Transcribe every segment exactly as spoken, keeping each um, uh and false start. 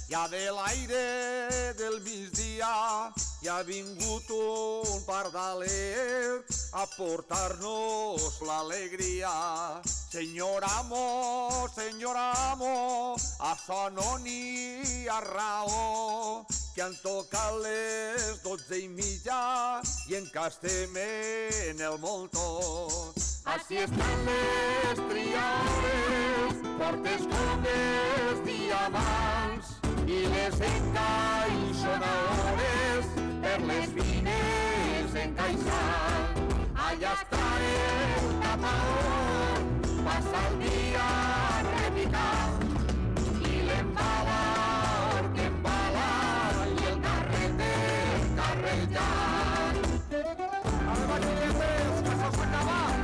ja de l'aire del migdia hi ha vingut un pardalet a portar-nos l'alegria. Senyor amo, senyor amo, això no n'hi ha raó, que han tocat les dotze i mitja i encara estem en el muntó. Així estan les triades, fortes com els diamants, i les encaixonadores per les fines encaixant. Allà està el tapador, passa el dia repicant, i l'embalador que embala i el carreter carrejant. A veure, batxilletes, que això s'ha acabat,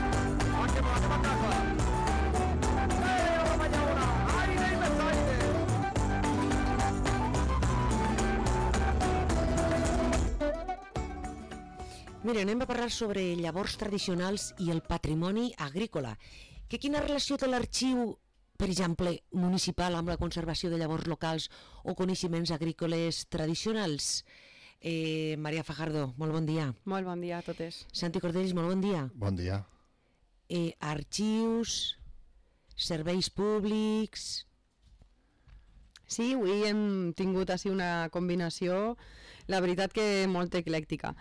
que me la fem a casa. Ei, a la mañana, aire i més aire. Mira, anem a parlar sobre llavors tradicionals i el patrimoni agrícola. Que quina relació té l'arxiu, per exemple, municipal amb la conservació de llavors locals o coneixements agrícoles tradicionals? Eh, Maria Fajardo, molt bon dia. Molt bon dia a totes. Santi Cordells, molt bon dia. Bon dia. Eh, arxius, serveis públics... Sí, avui hem tingut així una combinació, la veritat que molt eclèctica.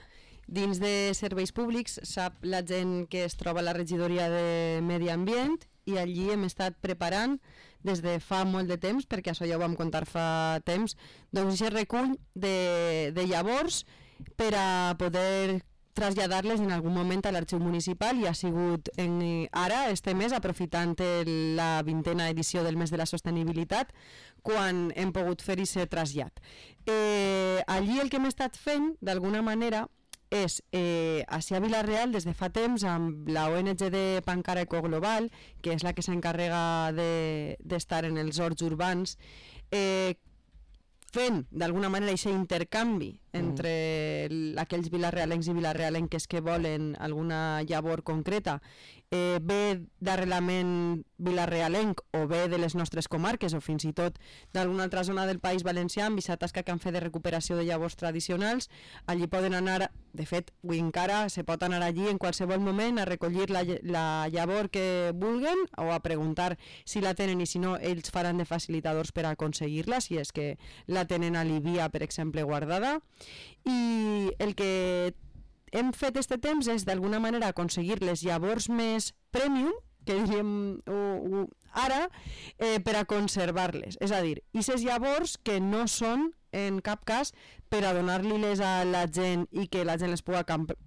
Dins de serveis públics sap la gent que es troba a la regidoria de Medi Ambient i allí hem estat preparant des de fa molt de temps, perquè això ja ho vam contar fa temps, doncs aquest recull de, de llavors per a poder traslladar-les en algun moment a l'arxiu municipal, i ha sigut en, ara, este mes, aprofitant el, la vintena edició del mes de la sostenibilitat, quan hem pogut fer aquest trasllat. Eh, allí el que hem estat fent, d'alguna manera, és eh, a Vila-real des de fa temps amb la O N G de Pancara Ecoglobal, que és la que s'encarrega d'estar de, en els horts urbans, eh, fent d'alguna manera aquest intercanvi entre mm. aquells vilarealencs i vilarealenques que volen alguna llavor concreta, eh, bé d'arrelament vilarealenc o bé de les nostres comarques o fins i tot d'alguna altra zona del País Valencià, amb aquesta tasca que han fet de recuperació de llavors tradicionals. Allí poden anar, de fet, avui encara se pot anar allí en qualsevol moment a recollir la, la llavor que vulguen o a preguntar si la tenen, i si no, ells faran de facilitadors per a aconseguir-la, si és que la tenen a l'Ivia, per exemple, guardada. I el que hem fet este temps és d'alguna manera aconseguir les llavors més premium, que diríem uh, uh, ara, eh, per a conservar-les. És a dir, aquestes llavors que no són en cap cas per a donar-li-les a la gent i que la gent les pugui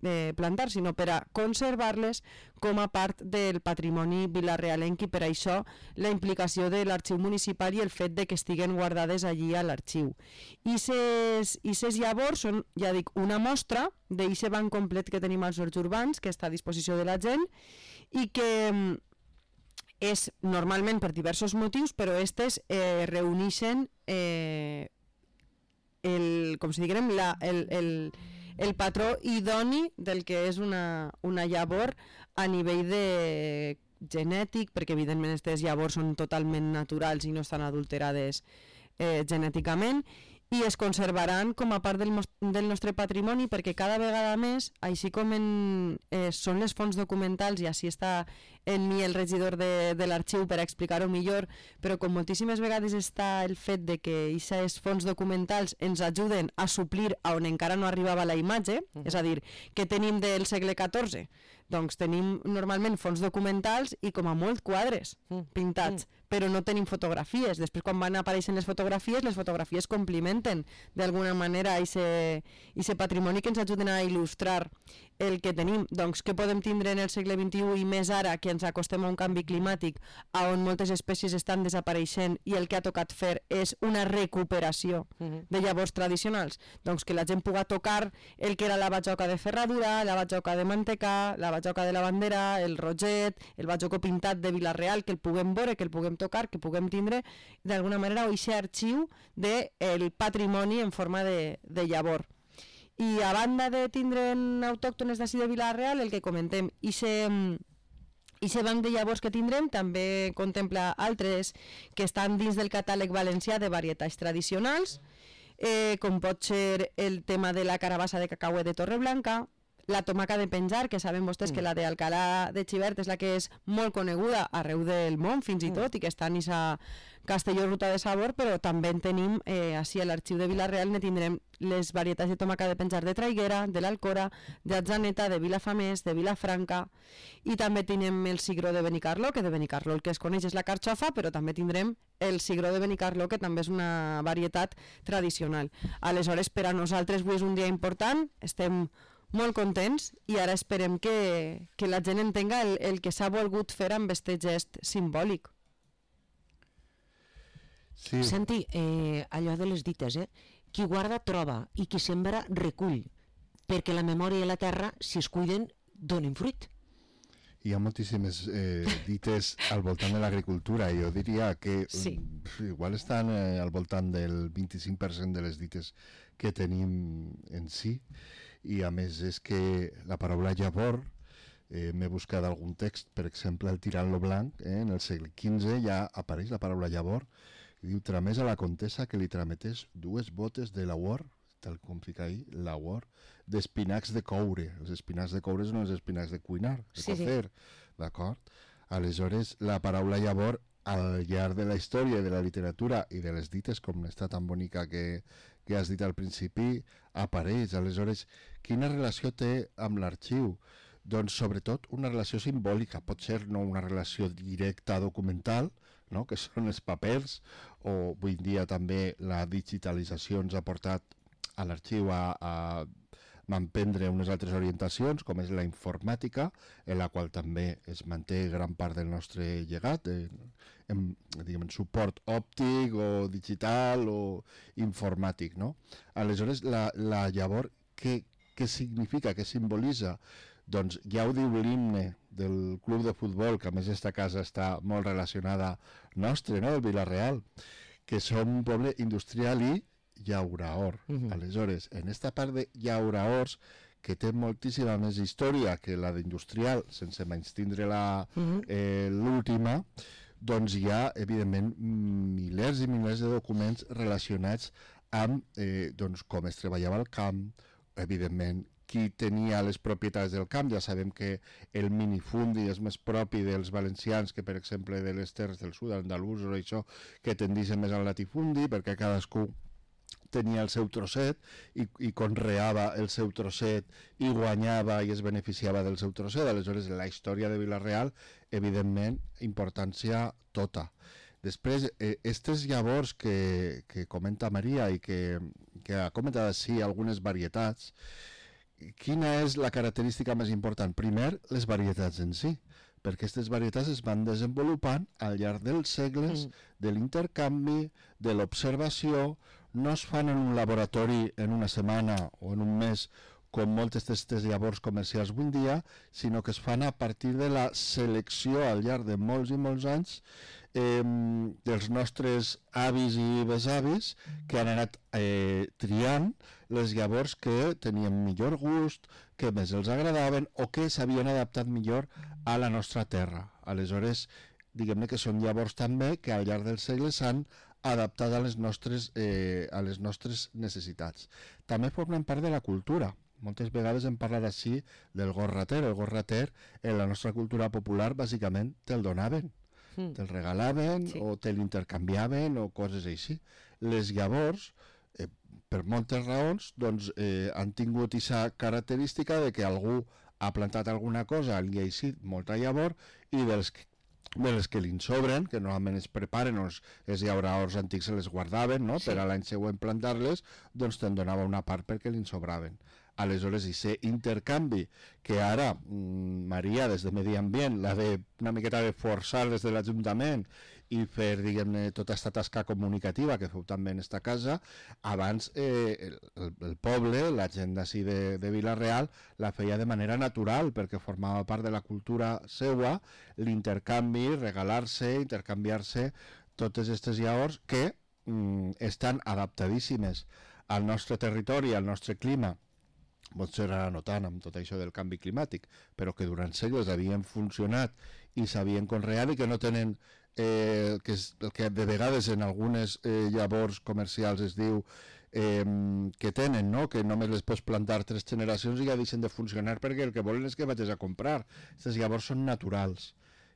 eh, plantar, sinó per a conservar-les com a part del patrimoni vilarealenc, i per això la implicació de l'arxiu municipal i el fet de que estiguen guardades allí a l'arxiu. I aquestes llavors són, ja dic, una mostra d'aquest banc complet que tenim als horts urbans, que està a disposició de la gent i que és normalment per diversos motius, però aquestes eh, reuneixen eh, el, com si diguem, la, el, el, el patró idoni del que és una, una llavor a nivell de genètic, perquè evidentment aquestes llavors són totalment naturals i no estan adulterades eh, genèticament, i es conservaran com a part del, del nostre patrimoni, perquè cada vegada més, així com en, eh, són les fonts documentals, i així està en mi el regidor de, de l'arxiu per a explicar-ho millor, però com moltíssimes vegades està el fet de que aquestes fonts documentals ens ajuden a suplir a on encara no arribava la imatge, uh-huh. És a dir, que tenim del segle catorze, doncs tenim normalment fons documentals i com a molt quadres uh-huh. pintats, uh-huh. però no tenim fotografies. Després, quan van apareixent les fotografies, les fotografies complimenten d'alguna manera aquest patrimoni que ens ajuden a il·lustrar el que tenim. Doncs què podem tindre en el segle vint-i-u i més ara que ens acostem a un canvi climàtic on moltes espècies estan desapareixent i el que ha tocat fer és una recuperació uh-huh. de llavors tradicionals? Doncs que la gent pugui tocar el que era la batjoca de ferradura, la batjoca de mantecà, la batjoca de la bandera, el roget, el batjoco pintat de Vila-real, que el puguem veure, que el puguem tocar, que puguem tindre d'alguna manera aquest arxiu del patrimoni en forma de, de llavor. I a banda de tindre autòctones d'ací de Vila-real, el que comentem, I aquest banc de llavors que tindrem també contempla altres que estan dins del catàleg valencià de varietats tradicionals, eh, com pot ser el tema de la carabassa de cacauet de Torreblanca, la tomaca de penjar, que saben vostès mm. que la d'Alcalà de Xivert és la que és molt coneguda arreu del món, fins i tot, mm. i que està en aquesta Castelló Ruta de Sabor, però també en tenim, eh, així a l'arxiu de Vila-real, ne tindrem les varietats de tomaca de penjar de Traiguera, de l'Alcora, d'Atzaneta, de Vilafamés, de Vilafranca, i també tenim el cigró de Benicarló, que de Benicarló el que es coneix és la carxofa, però també tindrem el cigró de Benicarló, que també és una varietat tradicional. Aleshores, per a nosaltres avui és un dia important, estem molt contents i ara esperem que, que la gent entenga el, el que s'ha volgut fer amb aquest gest simbòlic. Sí. Santi, eh, allò de les dites, eh? Qui guarda troba i qui sembra recull, perquè la memòria i la terra, si es cuiden, donen fruit. Hi ha moltíssimes eh, dites al voltant de l'agricultura i jo diria que sí. igual estan eh, al voltant del vint-i-cinc per cent de les dites que tenim en si. I a més és que la paraula llavor, eh, m'he buscat algun text, per exemple el Tirant lo Blanc, eh, en el segle quinze ja apareix la paraula llavor, i diu tramés a la contessa que li trametés dues botes de labor, tal com fica ahí, labor, d'espinacs de coure. Els espinacs de coure són els espinacs de cuinar, de sí, cocer, sí. D'acord? Aleshores, la paraula llavor, al llarg de la història de la literatura i de les dites, com està tan bonica que, que has dit al principi, apareix. Aleshores, quina relació té amb l'arxiu? Doncs sobretot una relació simbòlica, pot ser no una relació directa documental, no? Que són els papers, o avui en dia també la digitalització ens ha portat a l'arxiu a, a m'emprendre unes altres orientacions, com és la informàtica, en la qual també es manté gran part del nostre llegat, en, en, diguem, en suport òptic o digital o informàtic, no? Aleshores, la, la llavor, què, què significa, què simbolitza? Doncs ja ho diu l'himne del club de futbol, que a més esta casa està molt relacionada nostre, no?, el Vila-real, que som un poble industrial i llauraor. Uh-huh. Aleshores, en esta part de llauraors, que té moltíssima més història que la d'industrial, sense menystindre la, uh-huh. eh, l'última, doncs hi ha, evidentment, milers i milers de documents relacionats amb eh, doncs, com es treballava al camp, evidentment, qui tenia les propietats del camp. Ja sabem que el minifundi és més propi dels valencians que, per exemple, de les terres del sud, andalusos, això, que tendeixen més al latifundi, perquè cadascú tenia el seu trosset i, i conreava el seu trosset i guanyava i es beneficiava del seu trosset. Aleshores, la història de Vila-real, evidentment, importància tota. Després, eh, estes llavors que, que comenta Maria i que, que ha comentat així algunes varietats, quina és la característica més important? Primer, les varietats en si, perquè aquestes varietats es van desenvolupant al llarg dels segles, mm. de l'intercanvi, de l'observació, no es fan en un laboratori en una setmana o en un mes com moltes d'aquestes llavors comercials avui dia, sinó que es fan a partir de la selecció al llarg de molts i molts anys eh, dels nostres avis i besavis que han anat eh, triant les llavors que tenien millor gust, que més els agradaven o que s'havien adaptat millor a la nostra terra. Aleshores, diguem-ne que són llavors també que al llarg dels segles s'han adaptat a les nostres, eh, a les nostres necessitats. També formen part de la cultura. Moltes vegades hem parlat així del gorrater. El gorrater en la nostra cultura popular bàsicament te'l donaven, mm. te'l regalaven sí. o te l'intercanviaven o coses així. Les llavors, eh, per moltes raons, doncs, eh, han tingut aquesta característica de que algú ha plantat alguna cosa, li ha eixit molta llavor i dels que de les que li sobren, que normalment es preparen, els, els llauraors antics se les guardaven, no? Sí. Per a l'any següent plantar-les, doncs te'n donava una part perquè li sobraven. Aleshores, aquest intercanvi que ara mmm, Maria, des de Medi Ambient, l'ha de una miqueta de forçar des de l'Ajuntament i fer, diguem-ne, tota aquesta tasca comunicativa que feu també en esta casa, abans eh, el, el poble, la gent d'ací de, de Vila-real, la feia de manera natural, perquè formava part de la cultura seua, l'intercanvi, regalar-se, intercanviar-se, totes aquestes llavors que mm, estan adaptadíssimes al nostre territori, al nostre clima, potser ara no tant amb tot això del canvi climàtic, però que durant segles havien funcionat i sabien conrear i que no tenen eh, que és el que de vegades en algunes eh, llavors comercials es diu eh, que tenen, no? Que només les pots plantar tres generacions i ja deixen de funcionar perquè el que volen és que vagis a comprar. Aquestes llavors són naturals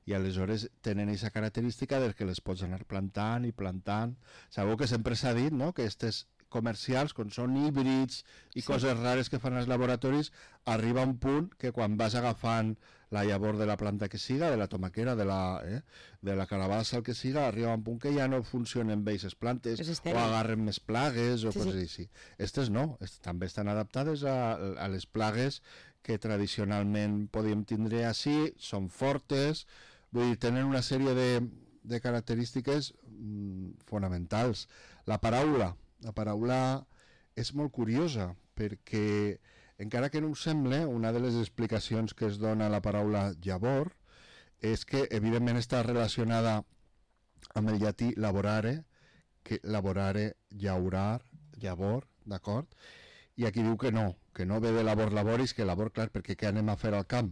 i aleshores tenen aquesta característica de que les pots anar plantant i plantant. Sabeu que sempre s'ha dit, no?, que aquestes comercials, quan són híbrids i sí. coses rares que fan els laboratoris, arriba un punt que quan vas agafant la llavor de la planta que siga, de la tomaquera, de la, eh, de la calabassa, el que siga, arriba un punt que ja no funcionen bé aquestes plantes, o agarren més plagues o sí, coses sí. així. Aquestes no, estes també estan adaptades a, a les plagues que tradicionalment podíem tindre així, són fortes, vull dir, tenen una sèrie de, de característiques mm, fonamentals. La paraula, la paraula és molt curiosa perquè, encara que no ho sembla, una de les explicacions que es dona a la paraula llavor és que evidentment està relacionada amb el llatí laborare, que laborare, llaurar, llavor, d'acord? I aquí diu que no, que no ve de labor laboris, que labor, clar, perquè què anem a fer al camp?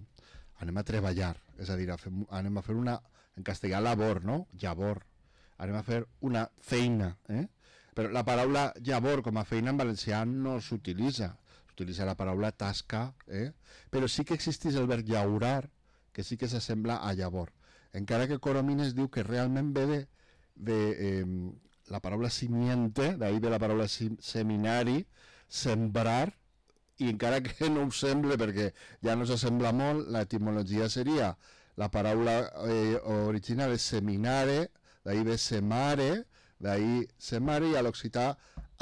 Anem a treballar, és a dir, a fer, anem a fer una, en castellà labor, no? Llavor, anem a fer una feina, eh? Però la paraula llavor com a feina en valencià no s'utilitza, s'utilitza la paraula tasca, eh? Però sí que existeix el verb llaurar, que sí que s'assembla a llavor. Encara que Coromines diu que realment ve de, de eh, la paraula simiente, d'ahir ve la paraula seminari, sembrar, i encara que no ho sembla perquè ja no s'assembla molt, l'etimologia seria, la paraula eh, original és seminare, d'ahir ve semare, d'ahir semare, i a l'occità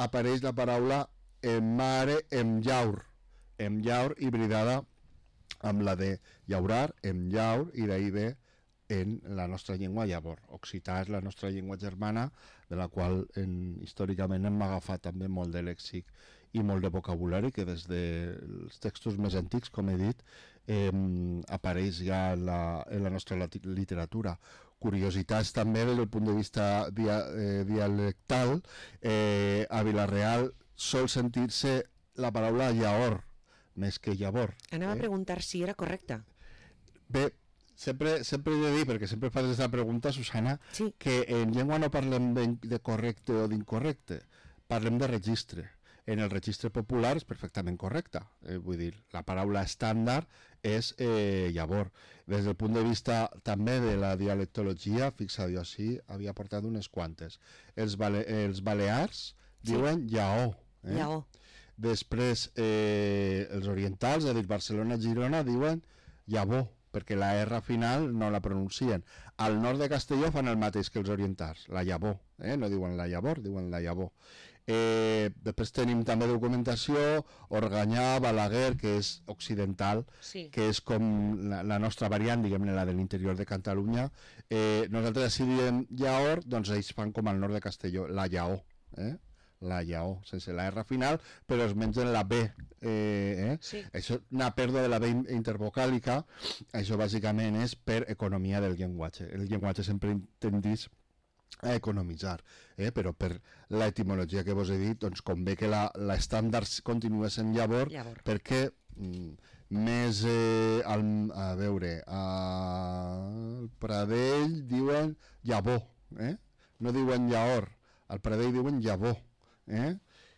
apareix la paraula emmare, emllaur, emllaur hibridada amb la de llaurar, emllaur, i d'ahir ve en la nostra llengua llavor. Occità és la nostra llengua germana, de la qual en, històricament hem agafat també molt de lèxic i molt de vocabulari, que des dels textos més antics, com he dit, eh, apareix ja en la, en la nostra literatura. Curiositats també des del punt de vista dia, eh, dialectal, eh, a Vila-real sol sentir-se la paraula llaor, més que llavor. Anem eh? a preguntar si era correcta. Bé, sempre, sempre he de dir, perquè sempre fas aquesta pregunta, Susana, sí. que en llengua no parlem de, de correcte o d'incorrecte, parlem de registre. En el registre popular és perfectament correcta, eh, vull dir, la paraula estàndard és eh, llavor. Des del punt de vista també de la dialectologia, fixa-ho així, havia portat unes quantes. Els, bale els balears sí. diuen llaó. Eh? Llaó. Després eh, els orientals, és a dir, Barcelona, Girona, diuen llavor, perquè la R final no la pronuncien. Al nord de Castelló fan el mateix que els orientals, la llavor, eh? No diuen la llavor, diuen la llavor. Eh, després tenim també documentació, Organyà, Balaguer, que és occidental, sí. que és com la, la nostra variant, diguem-ne, la de l'interior de Catalunya. Eh, nosaltres així diem llaor, doncs ells fan com al nord de Castelló, la llaó, eh? la llaó, sense la R final, però es mengen la B. Eh, eh? Sí. Això, una pèrdua de la B intervocàlica, això bàsicament és per economia del llenguatge. El llenguatge sempre tendís a economitzar, eh? Però per l'etimologia que vos he dit, doncs convé que l'estàndard continua sent llavor, llavor. perquè mm, més eh, al, a veure al Pradell diuen llavor, eh? No diuen llaor, al Pradell diuen llavor, eh?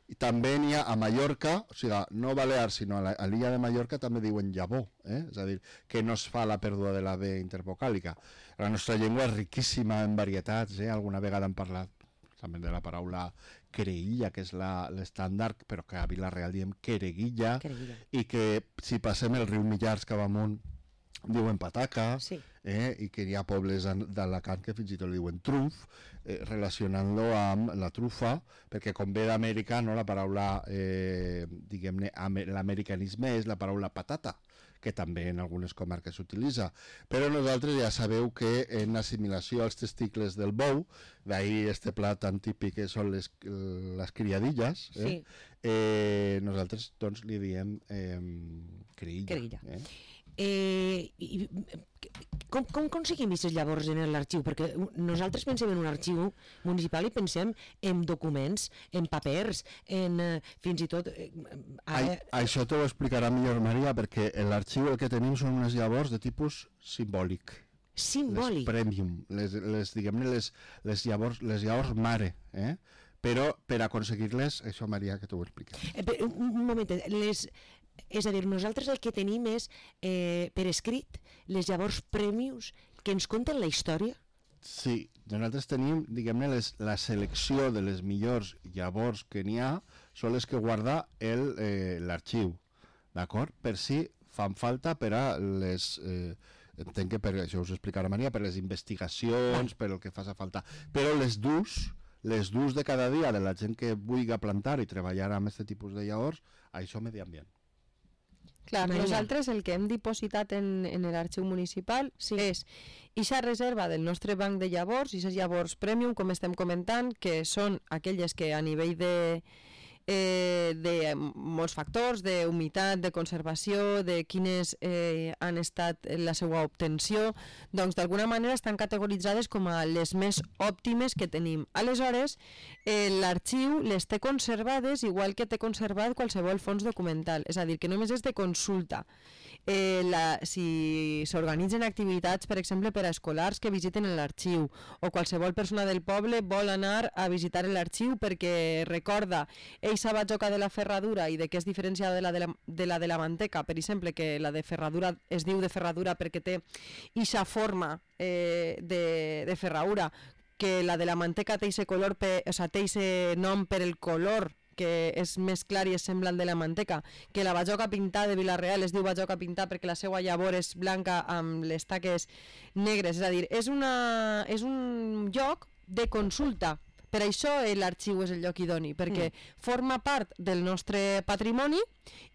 I també n'hi ha a Mallorca, o sigui, no Balears, sinó a l'illa de Mallorca també diuen llavor, eh? És a dir, que no es fa la pèrdua de la B intervocàlica. La nostra llengua és riquíssima en varietats, eh? Alguna vegada hem parlat també de la paraula quereguilla, que és l'estàndard, però que a Vila-real diem quereguilla, quereguilla, i que si passem el riu Millars cap amunt diuen pataca, sí. eh? I que hi ha pobles d'Alacant que fins i tot diuen truf, eh, relacionant-lo amb la trufa, perquè com ve d'Amèrica, no, la paraula, eh, diguem-ne, l'americanisme és la paraula patata, que també en algunes comarques s'utilitza. Però nosaltres ja sabeu que en assimilació als testicles del bou, d'ahir este plat tan típic que són les, les criadilles, eh? Sí. Eh, nosaltres doncs li diem eh, creïlla. Creïlla. Eh? Eh, i, com, com aconseguim aquestes llavors en l'arxiu? Perquè nosaltres pensem en un arxiu municipal i pensem en documents, en papers, en eh, fins i tot... Eh, ara... A, això t'ho explicarà millor Maria, perquè en l'arxiu el que tenim són unes llavors de tipus simbòlic. simbòlic. Les premium, les, les, diguem-ne, les, les, llavors, les llavors mare, eh? Però per aconseguir-les, això Maria, que t'ho explica. Eh, un moment, les, és a dir, nosaltres el que tenim és eh, per escrit les llavors premius que ens conten la història. Sí, nosaltres tenim, diguem-ne, les, la selecció de les millors llavors que n'hi ha són les que guarda l'arxiu, eh, d'acord? Per si fan falta per a les... Eh, entenc que per això us explicarà Maria, per les investigacions, per el que faci falta. Però les d'ús, les d'ús de cada dia de la gent que vulgui plantar i treballar amb aquest tipus de llavors, això medi ambient. Clar, Maria. Nosaltres el que hem dipositat en, en l'arxiu municipal sí. és ixa reserva del nostre banc de llavors, i aquestes llavors premium, com estem comentant, que són aquelles que a nivell de, eh, de molts factors, de humitat, de conservació, de quines eh, han estat la seva obtenció, doncs d'alguna manera estan categoritzades com a les més òptimes que tenim. Aleshores, eh, l'arxiu les té conservades igual que té conservat qualsevol fons documental, és a dir, que només és de consulta. Eh, la, si s'organitzen activitats, per exemple, per a escolars que visiten l'arxiu, o qualsevol persona del poble vol anar a visitar l'arxiu perquè recorda eixa batjoca de la ferradura i de què és diferència de la de la, de la de la manteca, per exemple, que la de ferradura es diu de ferradura perquè té eixa forma eh, de, de ferradura, que la de la manteca té eixe color, pe, o sea, té eixe nom per el color que és més clar i és semblant de la manteca, que la bajoca pintada de Vila-real es diu bajoca pintada perquè la seva llavor és blanca amb les taques negres, és a dir, és, una, és un lloc de consulta. Per això l'arxiu és el lloc idoni, perquè mm. forma part del nostre patrimoni,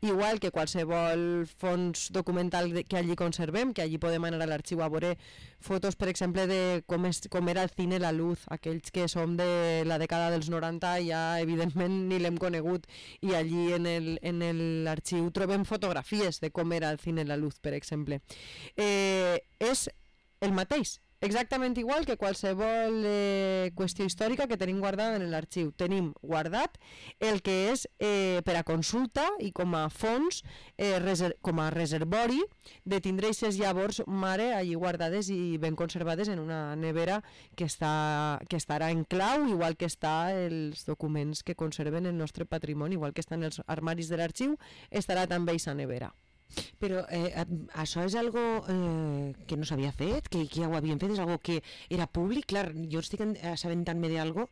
igual que qualsevol fons documental que allí conservem, que allí podem anar a l'arxiu a veure fotos, per exemple, de com, és, com era el cine La Luz, aquells que som de la dècada dels noranta ja evidentment ni l'hem conegut, i allí en l'arxiu trobem fotografies de com era el cine La Luz, per exemple. Eh, és el mateix. Exactament igual que qualsevol eh, qüestió històrica que tenim guardada en l'arxiu. Tenim guardat el que és eh, per a consulta i com a fons, eh, reser com a reservori, de tindre aquestes llavors mare allí guardades i ben conservades en una nevera que, està, que estarà en clau, igual que està els documents que conserven el nostre patrimoni, igual que estan els armaris de l'arxiu, estarà també aquesta nevera. Però eh, això és algo eh, que no s'havia fet, que, que ja ho havien fet, és algo que era públic, clar, jo estic assabentant-me d'algo.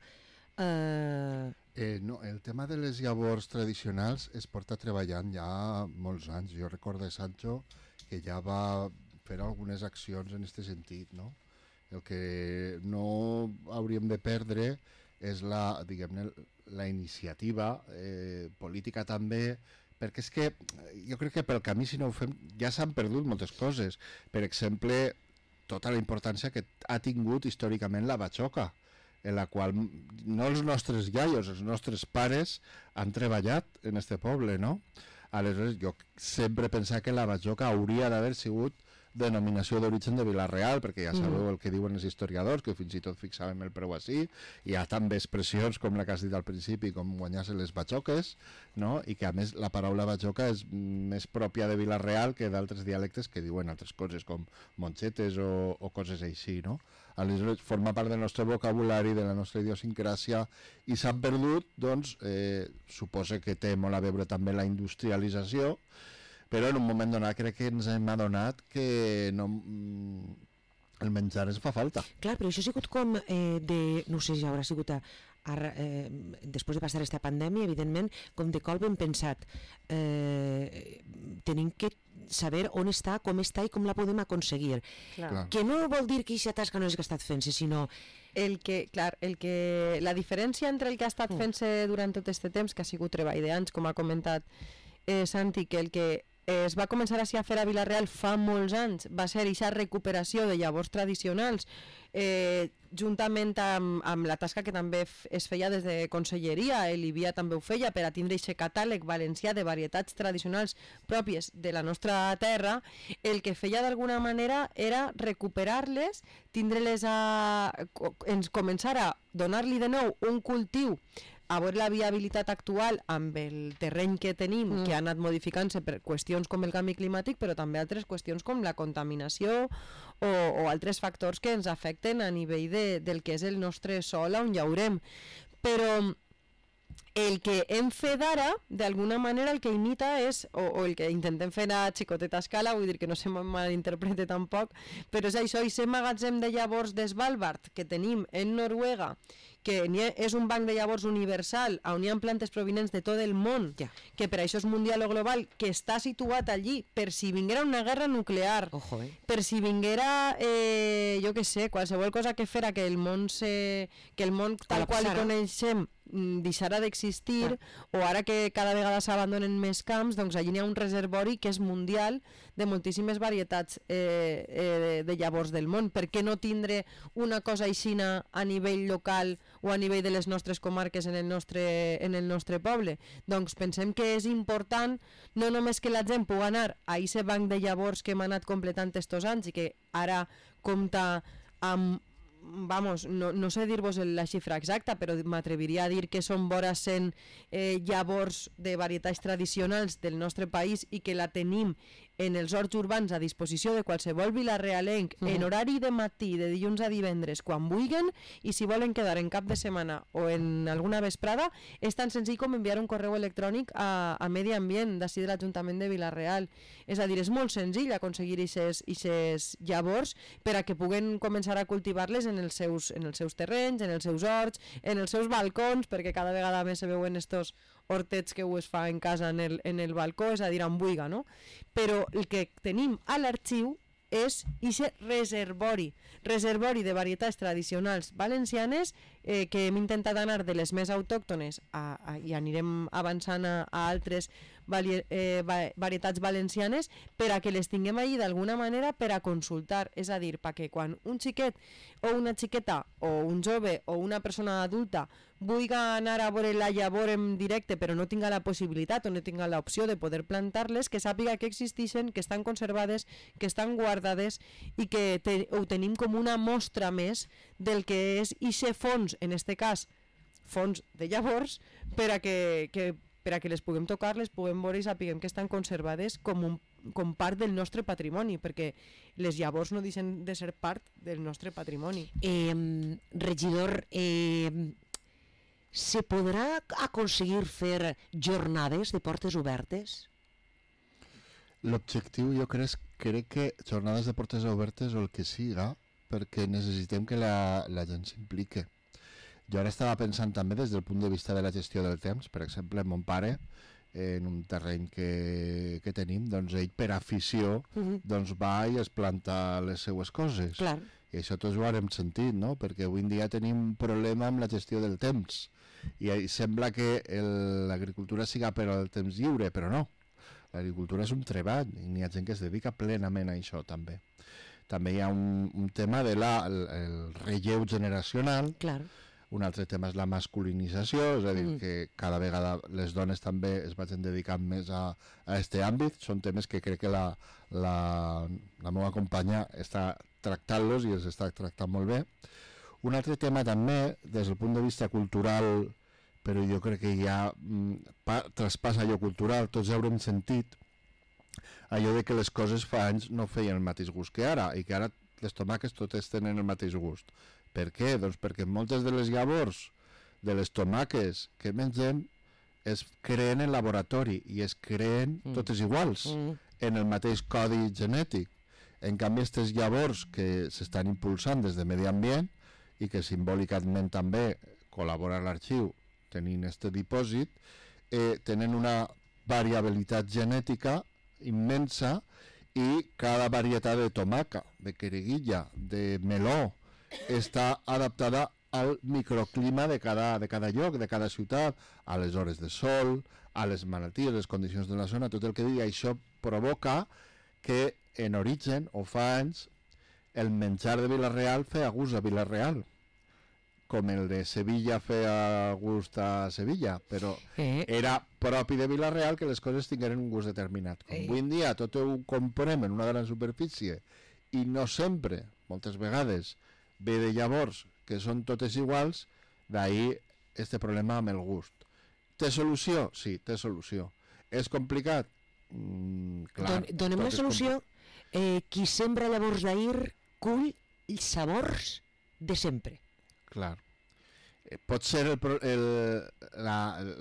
Eh... Eh, no, el tema de les llavors tradicionals es porta treballant ja molts anys. Jo recordo Sancho que ja va fer algunes accions en aquest sentit, no? El que no hauríem de perdre és la, diguem-ne, la iniciativa eh, política també, perquè és que jo crec que pel camí, si no ho fem, ja s'han perdut moltes coses. Per exemple, tota la importància que ha tingut històricament la batjoca, en la qual no els nostres iaios, els nostres pares han treballat en este poble, no? Aleshores, jo sempre he pensat que la batjoca hauria d'haver sigut denominació d'origen de Vila-real, perquè ja sabeu el que diuen els historiadors, que fins i tot fixàvem el preu així. Hi ha també expressions com la que has dit al principi, com guanyar-se les batjoques, no? I que a més la paraula batjoca és més pròpia de Vila-real que d'altres dialectes que diuen altres coses com monxetes o, o coses així, no? Aleshores forma part del nostre vocabulari, de la nostra idiosincràsia, i s'han perdut, doncs, eh, suposa que té molt a veure també la industrialització, però en un moment donat crec que ens hem adonat que no, el menjar ens fa falta. Clar, però això ha sigut com eh, de... no sé si haurà sigut a, a, eh, després de passar aquesta pandèmia, evidentment, com de col ben pensat. Eh, tenim que saber on està, com està i com la podem aconseguir. Clar. Que no vol dir que aquesta tasca no és que ha estat fent-se, sinó... El que, clar, el que, la diferència entre el que ha estat fent-se durant tot aquest temps, que ha sigut treball d'anys, com ha comentat eh, Santi, que el que es va començar així a fer a Vila-real fa molts anys, va ser aquesta recuperació de llavors tradicionals, eh, juntament amb, amb la tasca que també es feia des de Conselleria, l'Ivia també ho feia, per a tindre aquest catàleg valencià de varietats tradicionals pròpies de la nostra terra. El que feia d'alguna manera era recuperar-les, tindre-les a... ens començar a donar-li de nou un cultiu a veure la viabilitat actual amb el terreny que tenim, mm. que ha anat modificant-se per qüestions com el canvi climàtic, però també altres qüestions com la contaminació o, o altres factors que ens afecten a nivell de, del que és el nostre sòl on llaurem. Però el que hem fet ara, d'alguna manera el que imita és, o, o el que intentem fer a xicoteta escala, vull dir que no se malinterprete tampoc, però és això, aquest magatzem de llavors de Svalbard que tenim en Noruega, que ha, és un banc de llavors universal on hi ha plantes provinents de tot el món, yeah. que per això és mundial o global, que està situat allí per si vinguera una guerra nuclear, Ojo, eh? per si vinguera, eh, jo què sé, qualsevol cosa que fera que el món, se, que el món tal qual el coneixem deixarà d'existir, ah. o ara que cada vegada s'abandonen més camps, doncs allí n'hi ha un reservori que és mundial de moltíssimes varietats eh, eh, de llavors del món. Per què no tindre una cosa aixina a nivell local o a nivell de les nostres comarques en el nostre, en el nostre poble? Doncs pensem que és important no només que la gent pugui anar a aquest banc de llavors que hem anat completant estos anys i que ara compta amb vamos, no, no sé dir-vos la xifra exacta, però m'atreviria a dir que són vora cent eh, llavors de varietats tradicionals del nostre país i que la tenim en els horts urbans a disposició de qualsevol vilarealenc uh -huh. en horari de matí, de dilluns a divendres, quan vulguin, i si volen quedar en cap de setmana o en alguna vesprada, és tan senzill com enviar un correu electrònic a, a Medi Ambient d'ací de l'Ajuntament de Vila-real. És a dir, és molt senzill aconseguir aquestes llavors per a que puguen començar a cultivar-les en els seus, en els seus terrenys, en els seus horts, en els seus balcons, perquè cada vegada més se veuen estos hortets que ho es fa en casa en el, en el balcó, és a dir, amb buiga, no? Però el que tenim a l'arxiu és aquest reservori, reservori de varietats tradicionals valencianes eh, que hem intentat anar de les més autòctones a, a, i anirem avançant a, a altres vari, eh, varietats valencianes per a que les tinguem allí d'alguna manera per a consultar, és a dir, perquè quan un xiquet o una xiqueta o un jove o una persona adulta vulgui anar a veure la llavor en directe però no tinga la possibilitat o no tinga l'opció de poder plantar-les, que sàpiga que existeixen, que estan conservades, que estan guardades i que te, ho tenim com una mostra més del que és ixe fons, en este cas fons de llavors, per a que, que, per a que les puguem tocar, les puguem veure i sapiguem que estan conservades com, un, com part del nostre patrimoni, perquè les llavors no deixen de ser part del nostre patrimoni. Eh, regidor, eh, se podrà aconseguir fer jornades de portes obertes? L'objectiu jo crec, crec que jornades de portes obertes o el que siga, perquè necessitem que la, la gent s'implique. Jo ara estava pensant també des del punt de vista de la gestió del temps. Per exemple, mon pare, en un terreny que, que tenim, doncs ell per afició uh-huh. doncs va i es planta les seues coses. Clar. I això tots ho hem sentit, no? Perquè avui en dia tenim un problema amb la gestió del temps. I sembla que el, l'agricultura siga per al temps lliure, però no. L'agricultura és un treball i n'hi ha gent que es dedica plenament a això també. També hi ha un, un tema de la, el, el relleu generacional. Clar. Un altre tema és la masculinització, és a dir, mm. que cada vegada les dones també es vagin dedicant més a aquest àmbit. Són temes que crec que la, la, la meva companya està tractant-los i els està tractant molt bé. Un altre tema també, des del punt de vista cultural, però jo crec que ja pa, traspassa allò cultural, tots ja haurem sentit allò de que les coses fa anys no feien el mateix gust que ara, i que ara les tomàquets totes tenen el mateix gust. Per què? Doncs perquè moltes de les llavors de les tomàquets que mengem es creen en laboratori i es creen mm. totes iguals, mm. en el mateix codi genètic. En canvi, aquestes llavors que s'estan impulsant des de Medi Ambient i que simbòlicament també col·labora l'arxiu tenint aquest dipòsit, eh, tenen una variabilitat genètica immensa i cada varietat de tomaca, de quereguilla, de meló, està adaptada al microclima de cada, de cada lloc, de cada ciutat, a les hores de sol, a les malalties, les condicions de la zona, tot el que digui. Això provoca que en origen, o fa anys, el menjar de Vila-real feia gust a Vila-real, com el de Sevilla feia gust a Sevilla, però eh. era propi de Vila-real que les coses tingueren un gust determinat. Com eh. avui en dia tot ho comprem en una gran superfície i no sempre, moltes vegades, ve de llavors que són totes iguals, d'ahir este problema amb el gust. Té solució? Sí, té solució. És complicat? Mm, clar. Don, donem la solució. Eh, qui sembra llavors d'ahir cull els sabors de sempre. Clar. Eh, pot ser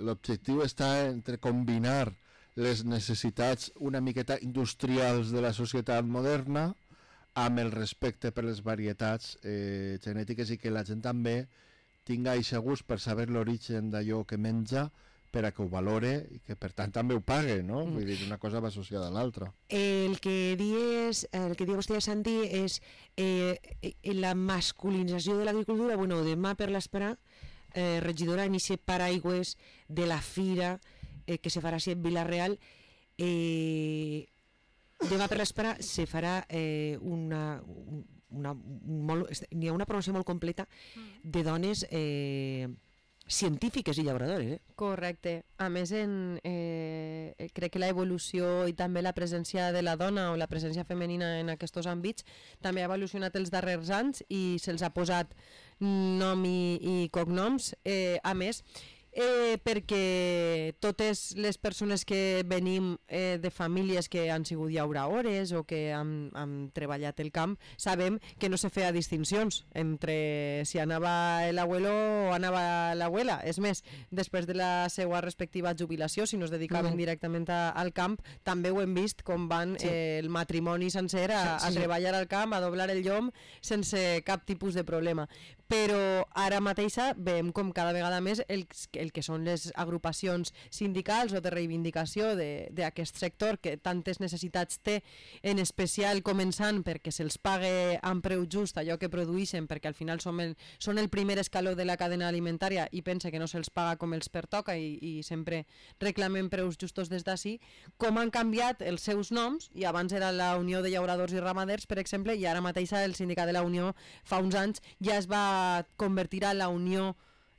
l'objectiu està entre combinar les necessitats una miqueta industrials de la societat moderna amb el respecte per les varietats eh, genètiques i que la gent també tinga aquest gust per saber l'origen d'allò que menja per a que ho valore i que per tant també ho pague, no? Mm. Vull dir, una cosa va associada a l'altra. El que dies, el que diu vostè, Santi, és eh, la masculinització de l'agricultura. Bueno, demà per l'esperar, eh, regidora, en aquest paraigües de la fira eh, que se farà a Vila-real, eh, demà per l'esperar se farà eh, una... una molt, n'hi ha una promoció molt completa de dones eh, científiques i llauradores. Eh? Correcte. A més, en, eh, crec que la evolució i també la presència de la dona o la presència femenina en aquests àmbits també ha evolucionat els darrers anys i se'ls ha posat nom i, i cognoms. Eh, a més, Eh, perquè totes les persones que venim eh, de famílies que han sigut llauradores o que han, han treballat el camp, sabem que no se feia distincions entre si anava l'abuelo o anava l'abuela. És més, després de la seva respectiva jubilació, si no es dedicaven mm. directament a, al camp, també ho hem vist com van sí. eh, el matrimoni sencer a, a sí, sí. treballar al camp, a doblar el llom sense cap tipus de problema. Però ara mateixa veiem com cada vegada més el, el que són les agrupacions sindicals o de reivindicació d'aquest sector que tantes necessitats té, en especial començant perquè se'ls pague amb preu just allò que produeixen, perquè al final som el, són el primer escaló de la cadena alimentària i pensa que no se'ls paga com els pertoca i, i sempre reclamen preus justos des d'ací, com han canviat els seus noms, i abans era la Unió de Llauradors i Ramaders, per exemple, i ara mateixa el sindicat de la Unió fa uns anys ja es va convertirà la Unió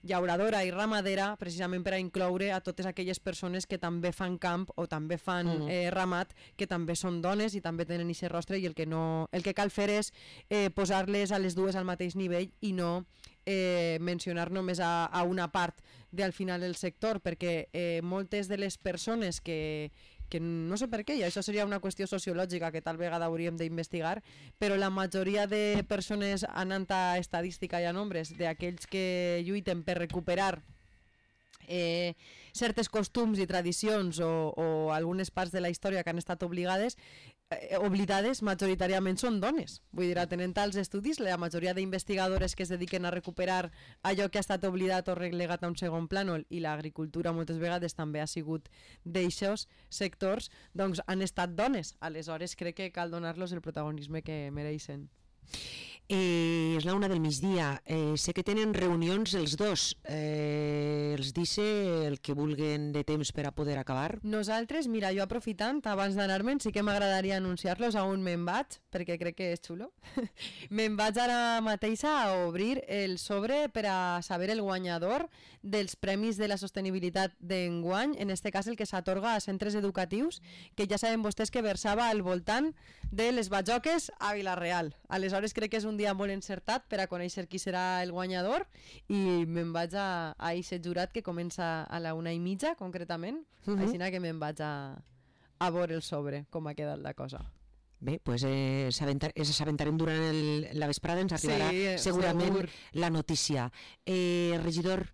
Llauradora i Ramadera precisament per a incloure a totes aquelles persones que també fan camp o també fan mm. eh, ramat, que també són dones i també tenen aquest rostre, i el que, no, el que cal fer és eh, posar-les a les dues al mateix nivell i no eh, mencionar només a, a una part del final del sector, perquè eh, moltes de les persones que que no sé per què, i això seria una qüestió sociològica que tal vegada hauríem d'investigar, però la majoria de persones, anant a estadística i a nombres, d'aquells que lluiten per recuperar eh, certes costums i tradicions o, o algunes parts de la història que han estat obligades, eh, oblidades, majoritàriament són dones. Vull dir, atenent als estudis, la majoria d'investigadores que es dediquen a recuperar allò que ha estat oblidat o relegat a un segon plànol, i l'agricultura moltes vegades també ha sigut d'eixos sectors, doncs han estat dones. Aleshores crec que cal donar-los el protagonisme que mereixen. Eh, és la una del migdia. Eh, sé que tenen reunions els dos. Eh, els dice el que vulguen de temps per a poder acabar? Nosaltres, mira, jo aprofitant, abans d'anar-me'n, sí que m'agradaria anunciar-los a on me'n vaig, perquè crec que és xulo. Me'n vaig ara mateixa a obrir el sobre per a saber el guanyador dels Premis de la Sostenibilitat d'enguany, en este cas el que s'atorga a centres educatius, que ja saben vostès que versava al voltant de les bajoques a Vila-real. Aleshores crec que és un dia molt encertat per a conèixer qui serà el guanyador, i me'n vaig a, a aquest jurat que comença a la una i mitja, concretament, uh-huh. Així que me'n vaig a, a veure el sobre, com ha quedat la cosa. Bé, doncs eh, s'aventarem durant el, la vesprada, ens arribarà sí, segurament segur. La notícia. Eh, regidor?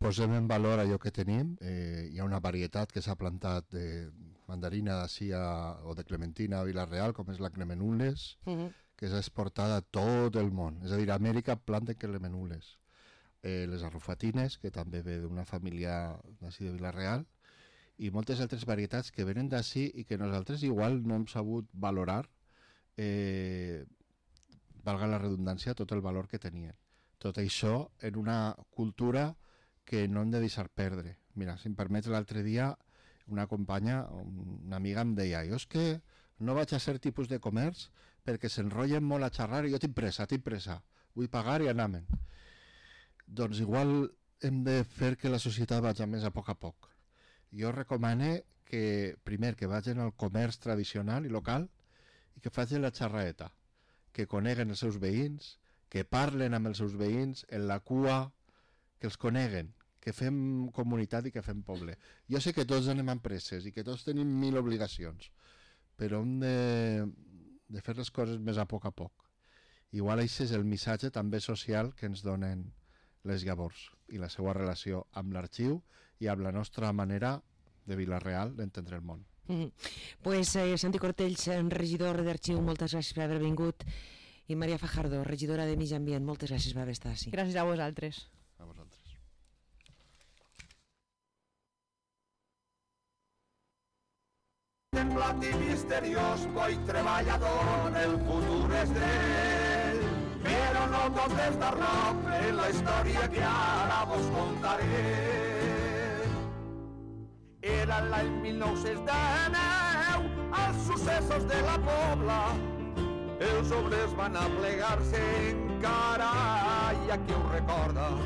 Posem en valor allò que tenim. Eh, hi ha una varietat que s'ha plantat de mandarina d'ací o de clementina a Vila-real, com és la Clemenules, uh-huh. que és exportada a tot el món. És a dir, a Amèrica planten Clemenules. Eh, les arrufatines, que també ve d'una família d'ací de Vila-real, i moltes altres varietats que venen d'ací i que nosaltres igual no hem sabut valorar, eh, valga la redundància, tot el valor que tenien. Tot això en una cultura que no hem de deixar perdre. Mira, si em permets, l'altre dia una companya, una amiga em deia, jo és que no vaig a ser tipus de comerç perquè s'enrotllen molt a xerrar i jo tinc pressa, tinc pressa, vull pagar i anar-me'n. Doncs igual hem de fer que la societat vagi més a poc a poc. Jo recomano que, primer, que vagin al comerç tradicional i local i que facin la xerraeta, que coneguen els seus veïns, que parlen amb els seus veïns en la cua, que els coneguen, que fem comunitat i que fem poble. Jo sé que tots anem a empreses i que tots tenim mil obligacions, però hem de, de fer les coses més a poc a poc. Igual això és el missatge també social que ens donen les llavors i la seva relació amb l'arxiu i amb la nostra manera de Vila-real d'entendre el món. Mm. Pues eh, Santi Cortells, regidor d'Arxiu, moltes gràcies per haver vingut, i Maria Fajardo, regidora de Mig Ambient, moltes gràcies per haver estat així. Gràcies a vosaltres. A vosaltres. Templat i misteriós, boi treballador, el futur és d'ell. Però no tot és d'arrop en la història que ara vos contaré. Era l'any mil nou-cents deu, als successos de la Pobla, els obrers van aplegar-se encara, i a qui ho recorda?